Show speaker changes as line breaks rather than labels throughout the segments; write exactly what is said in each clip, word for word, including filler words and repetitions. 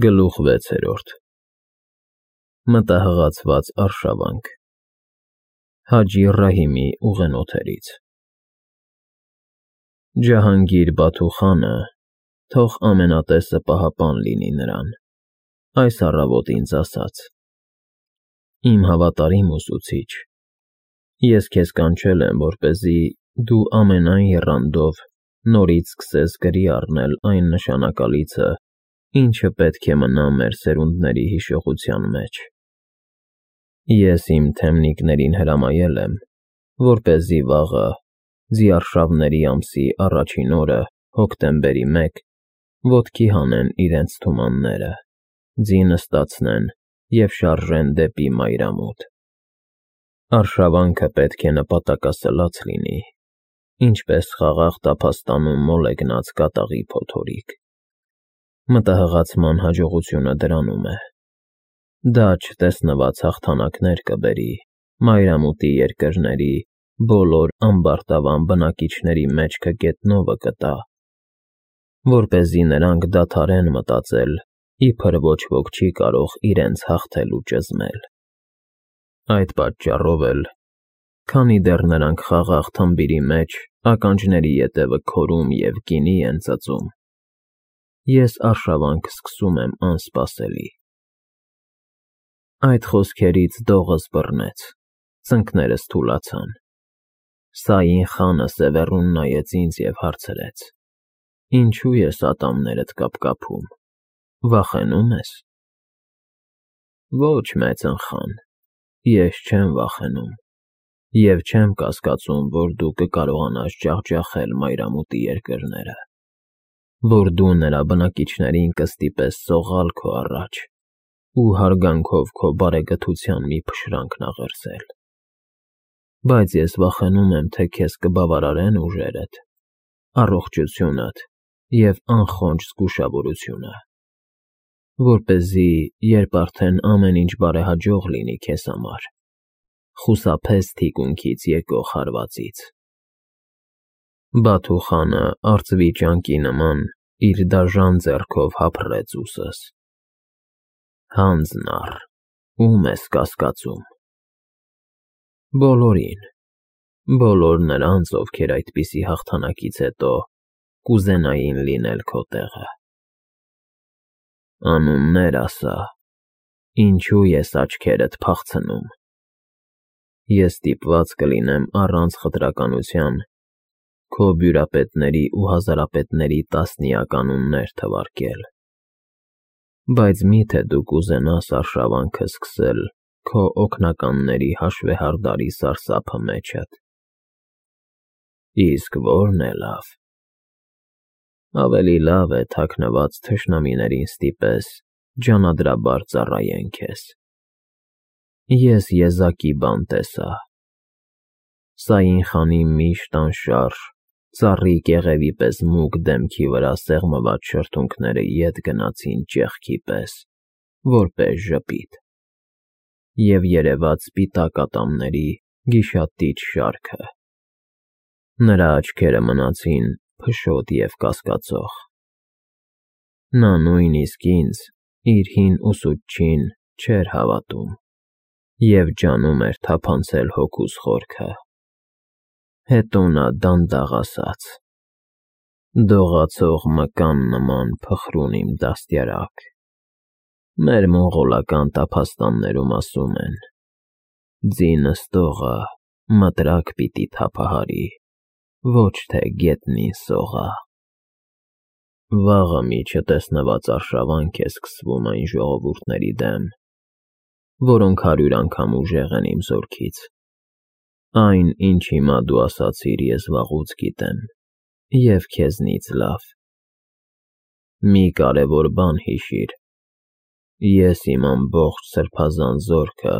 Գլուխ վեցերորդ Մտահղացված արշավանք Հաջի Ռահիմի ուղենոթերից Ջահանգիր Բաթու խանը, թող ամենատեսը պահապան լինի նրան, այս առավոտ ինձ ասաց. Իմ հավատարիմ ուսուցիչ, ես քեզ կանչել եմ, որպեսզի դու ամենայն եռանդով նորից սկսես գրի առնել այն նշանակալիցը, ինչը պետք է մնա մեր սերունդների հիշողության մեջ։ Ես իմ թեմնիկներին հրամայել եմ, որպեսզի վաղը, Ձիարշավների ամսի առաջին օրը, հոկտեմբերի մեկ, ոտքի հանեն իրենց թումանները, ձինը ստացնեն և շարժեն դեպի մայրամուտ։ Արշավանքը պետք է նպատակասլաց լինի, ինչպես խաղաղ տափաստանում մոլեգնած կատաղի փոթորիկ։ Մտահղացման հաջողությունը դրանում է. դա չտեսնված հաղթանակներ կբերի մայրամուտի երկրների բոլոր ամբարտավան բնակիչների մեջքը գետնովը կտա, որպեսզի նրանք դադարեն մտածել, իբր ոչ ոք չի կարող իրենց հաղթել ու ճզմել։ Այդ պատճառով էլ, քանի դեռ նրանք խաղաղ թմբիրի մեջ ականջների ետևը քորում և գինի են ծծում, ես արշավանք սկսում եմ անսպասելի։ Այդ խոսքերից դողս բռնեց, ծնկներս թուլացան։ Սային խանը սևեռուն նայեց ինձ և հարցրեց. Ինչու ես ատամներդ կապկապում, վախենու՞մ ես։ Ոչ, մեծնխան, ես չեմ վախենում և չեմ կասկածում, որ դու կկարողանաս ջախջախել մայրամուտի երկրները, որ դու նրա բնակիչներին կստիպես սողալ քո առաջ ու հարգանքով քո բարեգթության մի փշրանք նախերսել։ Բայց ես վախենում եմ, թե քեզ կբավարարեն ուժերդ, առողջությունդ և անխոնջ զգուշավորությունը, որպեսզի, երբ արդեն ամեն ինչ բարեհաջող լինի քեզ համար, խուսափես թիկունքից եկող հարվածից։ Բաթու խանը արծվի ճանկի նման իր դաժան ձեռքով հափռեց ուսս։ Հանձն առ, ո՞ւմ ես կասկածում։ Բոլորին, բոլոր նրանց, ովքեր այդպիսի հաղթանակից հետո կուզենային լինել քո տեղը։ Անուններ ասա, ինչու ես աչքերդ փախցնում։ Ես ստիպված կլինեմ առանց խտրականության քո բյուրապետների ու հազարապետների տասնյակ անուններ թվարկել, բայց մի՞թե դու կուզենաս արշավանքը սկսել քո օգնականների հաշվեհարդարի սարսափը մեջդ։ Իսկ ո՞րն է լավ։ Ավելի լավ է թաքնված թշնամիներին ստիպես ջանադրաբար ծառայեն քեզ։ Ես եզակի բան տեսա։ Սային խանի միշտ անշարժ, ծառի կեղևի պես մուգ դեմքի վրա սեղմված շրթունքները ետ գնացին ճեղքի պես, որպես ժպիտ, և երևաց սպիտակ ատամների գիշատիչ շարքը։ Նրա աչքերը մնացին փշոտ և կասկածող։ Նա նույնիսկ ինձ, իր հին ուսուցչին, չէր հավատում և ջանում էր թափանցել հոգուս խորքը։ Հետո նա դանդաղ ասաց. Դողացող մկան նման փխրուն իմ դաստիարակ, մեր մոնղոլական տափաստաններում ասում են. ձինը ստողը մտրակ պիտի թափահարի, ոչ թե գետնին սողա։ Վաղը մի չտեսնված արշավանք է սկսվում այն ժողովուրդների դեմ, որոնք հարյուր անգամ ուժեղ են իմ զորքից։ Այն, ինչ հիմա դու ասացիր, ես վաղուց գիտեմ և քեզնից լավ։ Մի կարևոր բան հիշիր. ես իմ ամբողջ սրբազան զորքը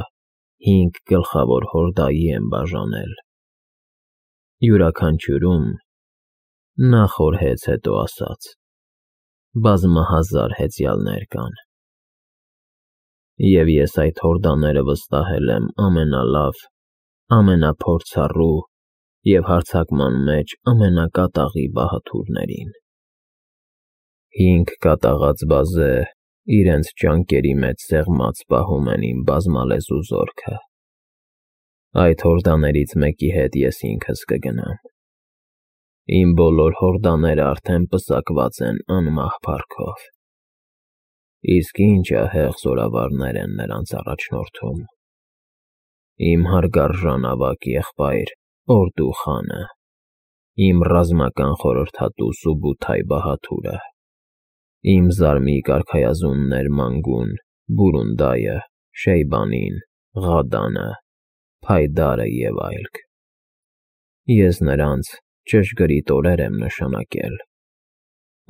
հինգ գլխավոր հորդայի եմ բաժանել։ Յուրաքանչյուրում, նախորհեց հետո ասաց, բազմահազար հեծյալներ կան։ Եվ ես այդ հորդաները վստահել եմ ամենալավ, ամենափորձառու և հարձակման մեջ ամենակատաղի բահադուրներին։ Հինգ կատաղած բազե իրենց ճանկերի մեջ սեղմած պահում են իմ բազմալեզու զորքը։ Այդ հորդաներից մեկի հետ ես ինքս կգնամ։ Իմ բոլոր հորդաները արդեն պսակված են անմահ փառքով։ Իսկ ինչ ահեղ զորավարներ են նրանց առաջնորդում։ Իմ հարգարժան ավագ եղբայր Օրդու խանը, իմ ռազմական խորհրդատու Սուբութայ Բահաթուրը, իմ զարմիկ արքայազուններ Մանգուն, Բուրունդայը, Շեյբանին, Ղադանը, Փայդարը և այլք։ Ես նրանց ճշգրիտ օրեր եմ նշանակել,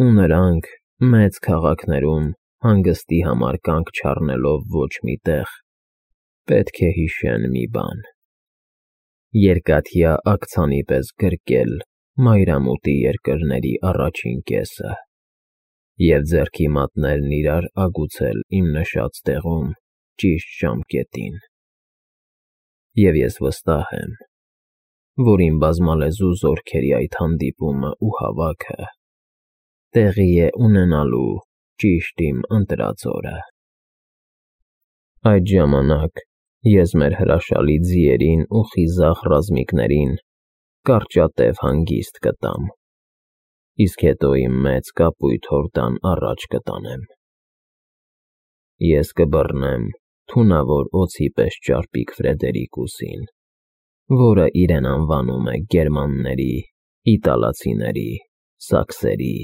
ու նրանք մեծ քաղաքներում հանգստի համար կանգ չառնելով ոչ մի տեղ, պետք է հիշեն մի բան. երկաթյա աքցանի պես գրկել մայրամուտի երկրների առաջին կեսը և ձեռքի մատներն իրար ագուցել իմ նշած տեղում ճիշտ ժամկետին։ Եվ ես վստահ եմ, որ իմ բազմալեզու զորքերի այդ հանդիպումը ու հավաքը տեղի է ունենալու ճիշտ իմ ընտրած օրը։ Այդ ժամանակ ես մեր հրաշալի ձիերին ու խիզախ ռազմիկներին կարճատև հանգիստ կտամ, իսկ հետո իմ մեծ կապույտ հորդան առաջ կտանեմ։ Ես կբռնեմ թունավոր օձի պես ճարպիկ Ֆրեդերիկուսին, որը իրեն անվանում է գերմանների, իտալացիների, սաքսերի,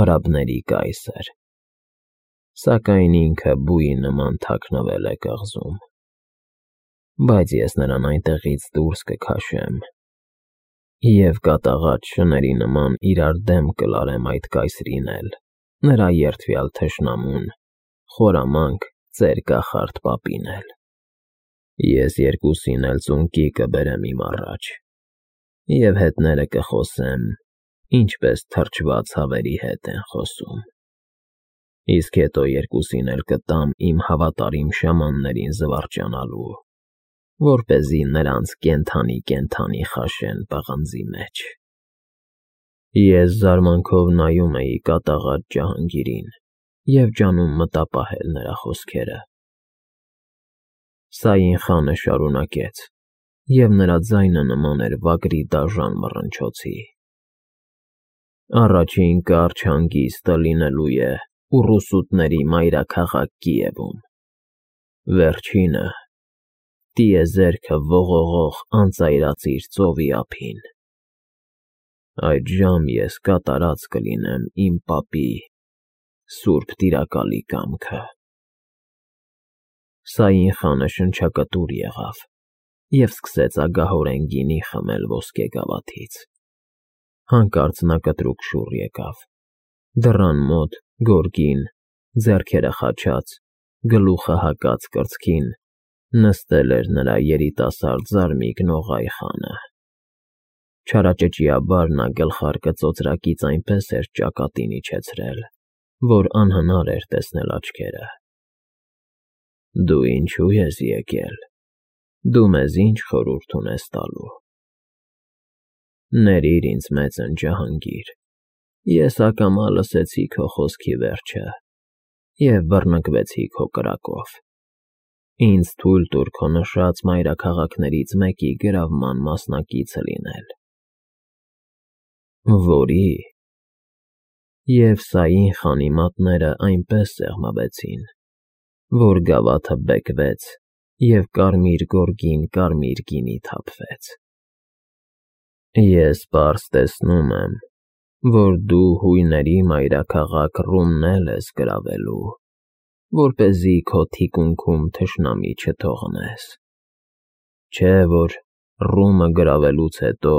արաբների կայսր, սակայն ինքը բույի նման թաքնվել է կղզում։ Բայց ես նրան այնտեղից դուրս կքաշեմ և կատաղած շների նման իրար դեմ կլարեմ այդ կայսրին էլ, նրա երդվյալ թշնամուն, խորամանկ ծեր կախարդ պապին էլ։ Ես երկուսին էլ ծունկի կբերեմ իմ առաջ և հետները կխոսեմ, ինչպես թրջված հավերի հետ են խոսում։ Իսկ հետո երկուսին էլ կտամ իմ հավատարիմ շամաններին զվարճանալու, որպեսզի նրանց կենդանի֊կենդանի խաշեն պղնձի մեջ։ Ես զարմանքով նայում էի կատաղած Ջահանգիրին և ջանում մտապահել նրա խոսքերը։ Սաին խանը շարունակեց, և նրա ձայնը նման էր վագրի դաժան մռնչոցի. Առաջին կարճ հանգիստը լինելու է ուռուսուտների մայրաքաղաք Կիևում, վերջինը՝ տիեզերքը ողողող անծայրածիր ծովի ափին։ Այդժամ ես կատարած կլինեմ իմ պապի սուրբ տիրակալի կամքը։ Սաին խանը շնչակտուր եղավ և սկսեց ագահորեն գինի խմել ոսկե գավաթից։ Հանկարծ նա կտրուկ շուռ եկավ, դռան մոտ, գորգին, ձեռքերը խաչած, գլուխը հակած կրծքին, նստել էր նրա երիտասարդ զարմիկ Նողայ խանը։ Չարաճճիաբար նա գլխարկը ծոծրակից այնպես էր ճակատին իջեցրել, որ անհնար էր տեսնել աչքերը։ Դու ինչո՞ւ ես եկել, դու մեզ ի՞նչ խորհուրդ ունես տալու։ Ներիր ինձ մեծն Ջահանգիր, ես ակամա լսեցի քո խոսքի վերջը և բռնկվեցի քո կրակով։ Ինձ թույլ տուր քո նշած մայրաքաղաքներից մեկի գրավման մասնակիցը լինել։ Որի՞։ Եվ Սաին խանի մատները այնպես սեղմվեցին, որ գավաթը բեկվեց և կարմիր գորգին կարմիր գինի թափվեց։ Ես պարզ տեսնում եմ, որ դու հույների մայրաքաղաք Ռումն էլ ես գրավելու, որպեսզի քո թիկունքում թշնամի չթողնես։ Չէ՞ որ Ռումը գրավելուց հետո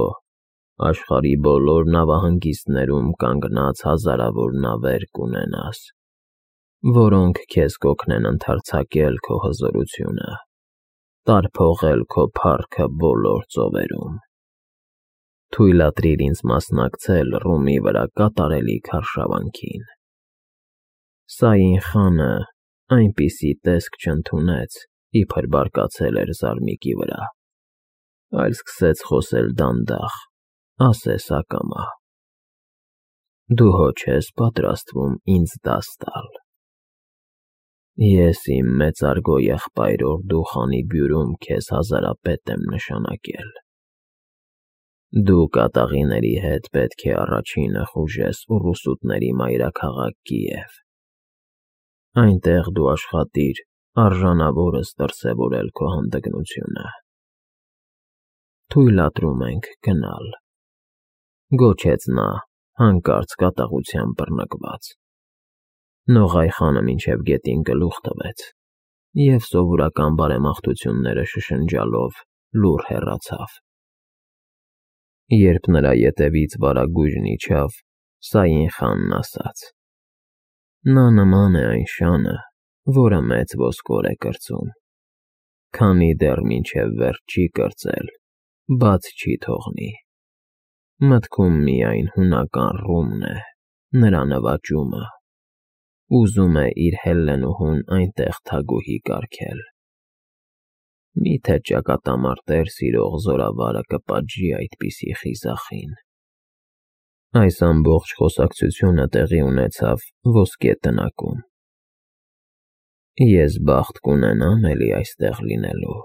աշխարհի բոլոր նավահանգիստներում կանգնած հազարավոր նավեր կունենաս, որոնք քեզ կօգնեն ընդարձակել քո հզորությունը, տարփողել քո փառքը բոլոր ծովերում։ Թույլատրիր ինձ մասնակցել Ռումի վրա կատարելիք արշավանքին։ Սաին խանը այնպիսի տեսք չընդունեց, իբր բարկացել էր զարմիկի վրա, այլ սկսեց խոսել դանդաղ, ասես ակամա. Դու հո չես պատրաստվում ինձ դաս տալ։ Ես իմ մեծարգո եղբայրոր դուխանի բյուրում քեզ հազարապետ եմ նշանակել։ Դու կատաղիների հետ պետք է առաջինը խուժես ուռուսուտների մայրաքաղաք Կիև։ Այնտեղ դու աշխատիր արժանավորս դրսևորել քո հանդգնությունը։ Թույլատրում ենք գնալ, գոչեց նա, հանկարծ կատաղությամբ բռնկված։ Նողայ խանը մինչև գետին գլուխ տվեց և սովորական բարեմաղթությունները շշնջալով լուռ հեռացավ։ Երբ նրա ետևից վարագույրն իջավ, Սային խանն ասաց. «Նա նման է այն շանը, որը մեծ ոսկոր է կրծում, քանի դեռ մինչև վերջ չի կրծել, բաց չի թողնի։ Մտքում միայն հունական ռումն է, նրա նվաճումը, ուզում է իր Հելլենուհուն այնտեղ թագուհի կարգել։ Մի՞թե ճակատամարտեր սիրող զորավարը կպատժի այդպիսի խիզախին»։ Այս ամբողջ խոսակցությունը տեղի ունեցավ ոսկե տնակում։ Ես բախտ կունենամ էլի այստեղ լինելու,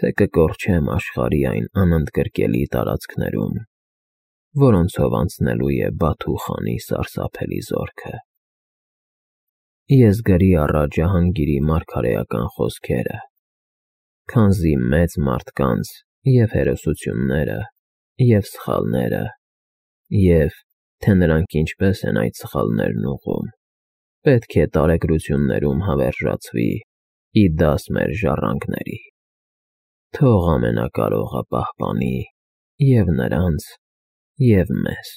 թե կկորչեմ աշխարհի այն անընդգրկելի տարածքներում, որոնցով անցնելու է Բաթու խանի սարսափելի զորքը։ Ես գրի առա Ջահանգիրի մարգարեական խոսքերը, քանզի մեծ մարդկանց և հերոսությունները, և սխալները, և, թե նրանք ինչպես են այդ սխալներն ուղղում, պետք է տարեգրություններում հավերժացվի ի դաս մեր ժառանգների։ Թող Ամենակարողը պահպանի և նրանց, և մեզ։